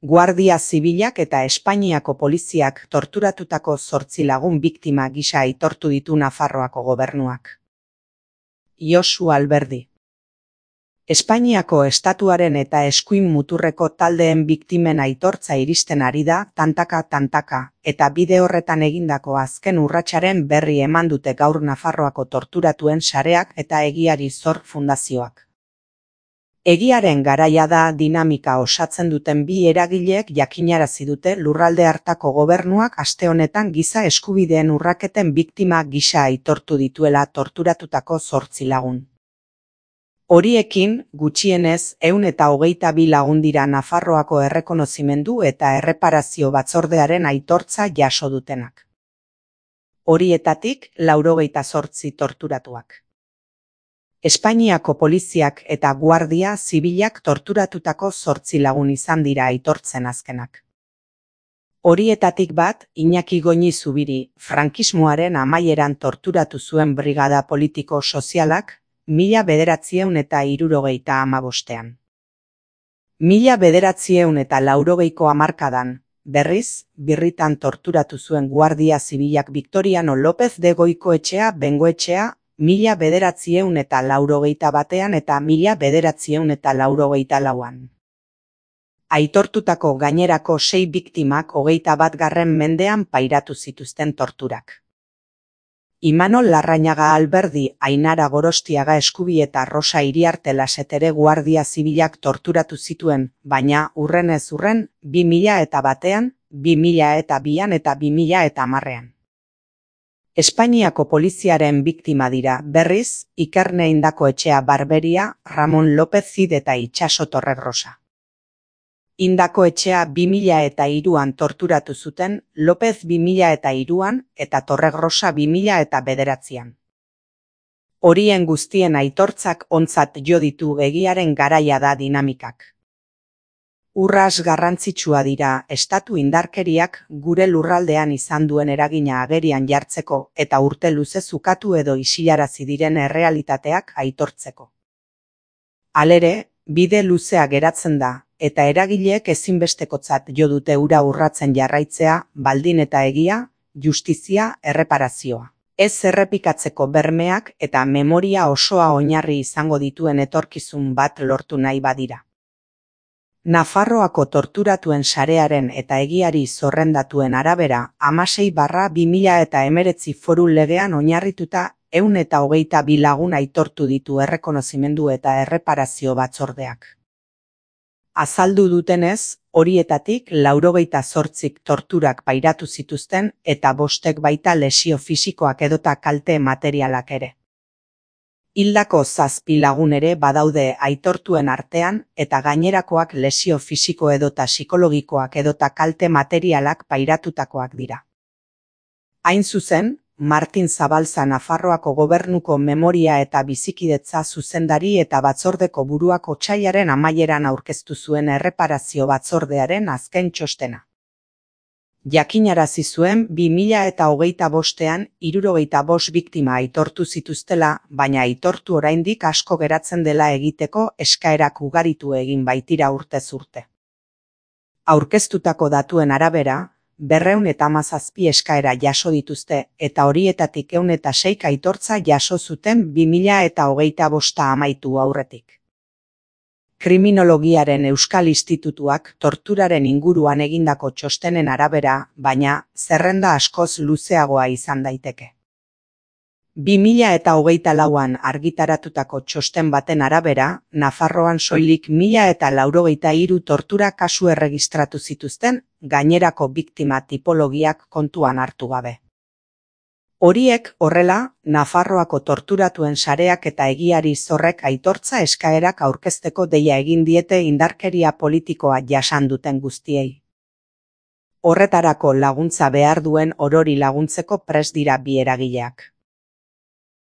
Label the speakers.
Speaker 1: Guardia Zibilak eta Espainiako poliziak torturatutako 8 lagun biktima gisa aitortu ditu Nafarroako gobernuak. Josu Alberdi. Espainiako estatuaren eta eskuin muturreko taldeen biktimen aitortza iristen ari da tantaka, eta bide horretan egindako azken urratsaren berri eman dute gaur Nafarroako torturatuen sareak eta Egiari Zor Fundazioak. Egiaren garaia da dinamika osatzen duten bi eragileek jakinarazi dute lurralde hartako gobernuak aste honetan giza eskubideen urraketen biktima gisa aitortu dituela torturatutako 8 lagun. Horiekin, gutxienez, 122 lagun dira Nafarroako errekonozimendu eta erreparazio batzordearen aitortza jaso dutenak. Horietatik 98 torturatuak. Espainiako poliziak eta Guardia Zibilak torturatutako 8 lagun izan dira aitortzen azkenak. Horietatik bat, Iñaki Goñi Zubiri, frankismoaren amaieran torturatu zuen brigada politiko sozialak, 1975ean. 1980ko hamarkadan, berriz, birritan torturatu zuen Guardia Zibilak Victoriano López de Goikoetxea Bengoetxea, 1981ean eta 1984an. Aitortutako gainerako 6 biktimak 21. mendean pairatu zituzten torturak. Imanol Larrañaga Alberdi, Ainara Gorostiaga Eskubi eta Rosa Iriarte Lasetere Guardia Zibilak torturatu zituen, baina urrenez urren 2001ean, 2002an eta 2010ean. Espainiako poliziaren biktima dira, berriz, Ikerne Indakoetxea Barberia, Ramon López Cid eta Itxaso Torregrosa. Indakoetxea 2003an torturatu zuten, López 2003an eta Torregrosa 2009an. Horien guztien aitortzak ontzat jo ditu Egiaren garaia da dinamikak. Urras garrantzitsua dira estatu indarkeriak gure lurraldean izan duen eragina agerian jartzeko eta urte luzez ukatu edo isilarazi diren errealitateak aitortzeko. Halere, bide luzea geratzen da, eta eragileek ezinbestekotzat jo dute hura urratzen jarraitzea, baldin eta egia, justizia, erreparazioa. Ez errepikatzeko bermeak eta memoria osoa oinarri izango dituen etorkizun bat lortu nahi badira. Nafarroako torturatuen sarearen eta Egiari zerrendatuen arabera 16/2019 foru legean oinarrituta 122 lagun aitortu ditu errekonozimendu eta erreparazio batzordeak. Azaldu dutenez, horietatik 98 torturak pairatu zituzten eta 5 baita lesio fisikoak edota kalte materialak ere. Hildako 7 lagun ere badaude aitortuen artean eta gainerakoak lesio fisiko edota psikologikoak edota kalte materialak pairatutakoak dira. Hain zuzen, Martin Zabalza Nafarroako gobernuko memoria eta bizikidetza zuzendari eta batzordeko buruak otsailaren amaieran aurkeztu zuen erreparazio batzordearen azken txostena. Jakinarazi zuen 2025ean 75 biktima aitortu zituztela, baina aitortu oraindik asko geratzen dela egiteko eskaerak ugaritu egin baitira urtez urte. Aurkeztutako datuen arabera, 217 eskaera jaso dituzte eta horietatik 106 aitortza jaso zuten 2025 amaitu aurretik. Kriminologiaren Euskal Institutuak torturaren inguruan egindako txostenen arabera, baina zerrenda askoz luzeagoa izan daiteke. 2024an argitaratutako txosten baten arabera, Nafarroan soilik 1083 tortura kasu erregistratu zituzten, gainerako biktima tipologiak kontuan hartu gabe. Horiek horrela, Nafarroako torturatuen sareak eta Egiari Zorrek aitortza eskaerak aurkezteko deia egin diete indarkeria politikoa jasan duten guztiei. Horretarako laguntza behar duen orori laguntzeko prest dira bi eragileak.